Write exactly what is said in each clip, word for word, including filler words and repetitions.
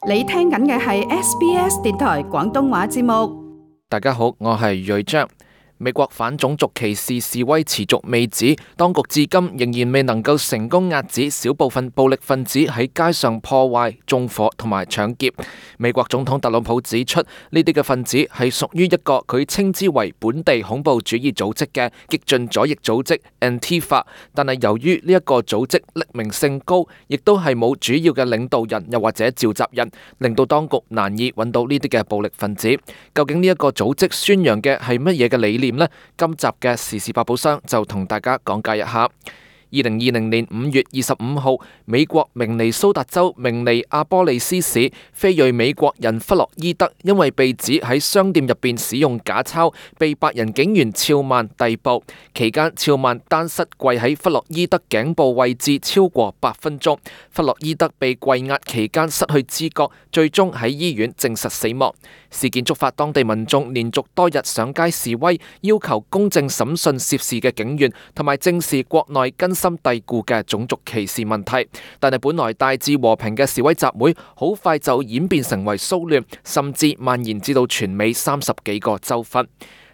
你聽緊嘅係 S B S 電台廣東話節目。大家好，我係瑞章。美國反種族歧視示威持續未止，當局至今仍然未能夠成功遏止少部分暴力分子喺街上破壞、縱火同埋搶劫。美國總統特朗普指出，呢啲嘅分子係屬於一個佢稱之為本地恐怖主義組織嘅激進左翼組織 Antifa， 但係由於呢一個組織匿名性高，亦都係冇主要嘅領導人又或者召集人，令到當局難以揾到呢啲嘅暴力分子。究竟呢一個組織宣揚嘅係乜嘢嘅理念呢？今集嘅時事百寶箱就同大家講解一下。二零二零年五月二十五號，美國明尼蘇達州明尼阿波利斯市非裔美國人弗洛伊德因為被指喺商店入邊使用假鈔，被白人警員肖曼逮捕。期間，肖曼單膝跪喺弗洛伊德頸部位置超過八分鐘。弗洛伊德被跪壓期間失去知覺，最終喺醫院證實死亡。事件觸發當地民眾連續多日上街示威，要求公正審訊涉事嘅警員，同埋正視國內根深蒂固嘅種族歧視問題。但係本來大致和平嘅示威集會，好快就演變成為騷亂，甚至蔓延至到全美三十幾個州份。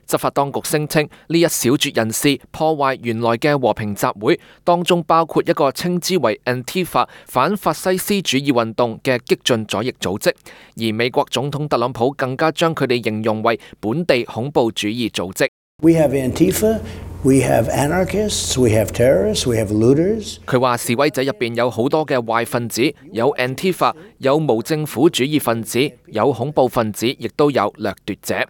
執法當局聲稱呢一小撮人士破壞原來嘅和平集會，當中包括一個稱之為 Antifa 反法西斯主義運動嘅激進左翼組織，而美國總統特朗普更加將佢哋形容為本地恐怖主義組織。We have Antifa, we have anarchists, we have terrorists, we have looters. 佢話示威者入邊有好多嘅壞分子，有 Antifa， 有無政府主義分子，有恐怖分子，亦都有掠奪者。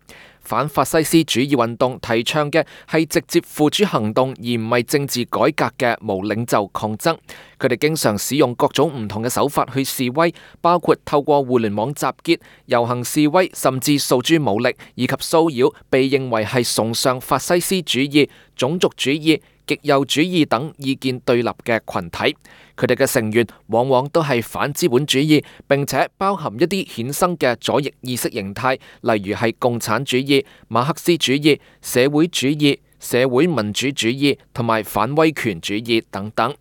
反法西斯主義運動提倡嘅係直接付諸行動，而唔係政治改革嘅無領袖抗爭。佢哋經常使用各種唔同嘅手法去示威，包括透過互聯網集結、遊行示威，甚至訴諸武力，以及騷擾被認為係崇尚法西斯主義、種族主義、極右主義等意見對立嘅群體。佢哋嘅成員往往都係反資本主義，並且包含一啲衍生嘅左翼意識形態，例如係共產主義、馬克思主義、社會主義、社會民主主義同埋反威權主義等等。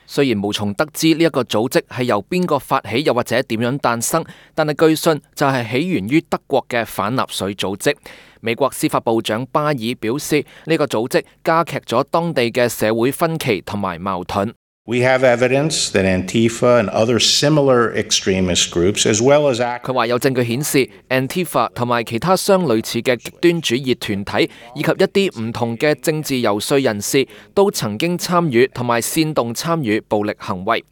雖然無從得知呢一個組織係由邊個發起，又或者點樣誕生，但係據信就係起源於德國嘅反納粹組織。美國司法部長巴爾表示，呢個組織加劇咗當地嘅社會分歧同埋矛盾。We have evidence that Antifa and other similar extremist groups, as well as act- 佢話有證據顯示 Antifa 同埋其他相類似嘅極端主義團體，以及一啲唔同嘅政治遊說人士，都曾經參與同埋煽動參與暴力行為。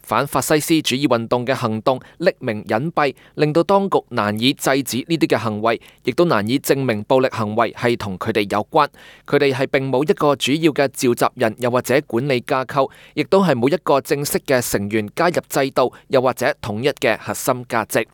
反法西斯主義運動嘅行動匿名隱蔽，令到當局難以制止呢啲嘅行為，亦都難以證明暴力行為係同佢哋有關。佢哋係並冇一個主要嘅召集人，又或者管理架構，亦都係冇一個正式嘅成員加入制度，又或者統一嘅核心價值。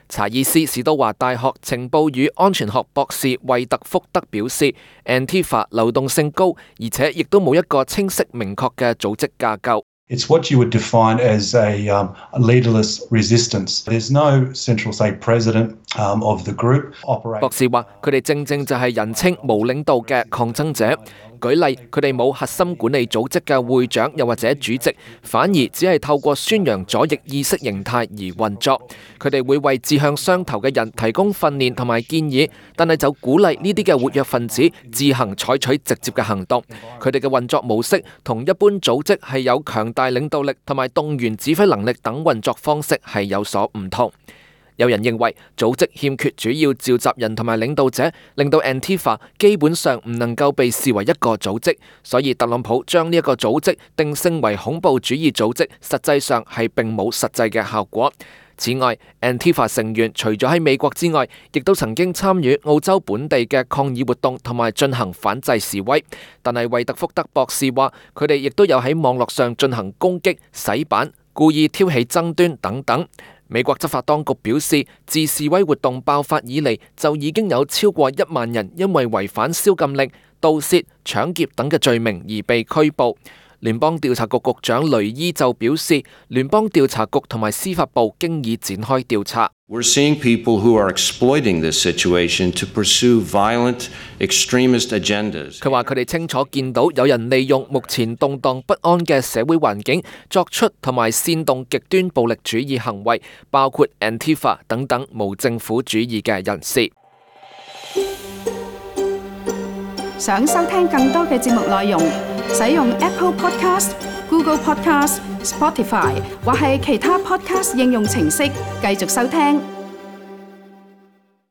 查爾斯史都華大學情報與安全學博士惠特福德表示 ，Antifa 流動性高，而且亦都冇一個清晰明確嘅組織架構。It's what you would define as a, um, a leaderless resistance. There's no central, say, president um, of the group. 博士話：佢哋正正就係人稱無領導嘅抗爭者。舉例，佢哋冇核心管理組織嘅會長又或者主席，反而只係透過宣揚左翼意識形態而運作。佢哋會為志向相投嘅人提供訓練同埋建議，但係就鼓勵呢啲嘅活躍分子自行採取直接嘅行動。佢哋嘅運作模式同一般組織係有強大領導力同埋動員指揮能力等運作方式係有所唔同。有人認為組織欠缺主要召集人同埋領導者，令到 Antifa 基本上唔能夠被視為一個組織，所以特朗普將呢一個組織定性為恐怖主義組織，實際上係並冇實際嘅效果。此外 ，Antifa 成員除咗喺美國之外，亦都曾經參與澳洲本地嘅抗議活動同埋進行反制示威。但係惠特福德博士話，佢哋亦都有喺網絡上進行攻擊、洗版、故意挑起爭端等等。美國執法當局表示，自示威活動爆發以嚟，就已經有超過一萬人因為違反宵禁令、盜竊、搶劫等嘅罪名而被拘捕。聯邦調查局局長雷伊就表示，聯邦調查局同埋司法部經已展開調查。We're seeing people who are exploiting this situation to pursue violent extremist agendas. 佢話佢哋清楚見到有人利用目前動盪不安嘅社會環境，作出同埋煽動極端暴力主義行為，包括 Antifa 等等無政府主義嘅人士。想收聽更多嘅節目內容，使用 Apple Podcast、Google Podcast、Spotify 或係其他 Podcast 應用程式繼續收聽。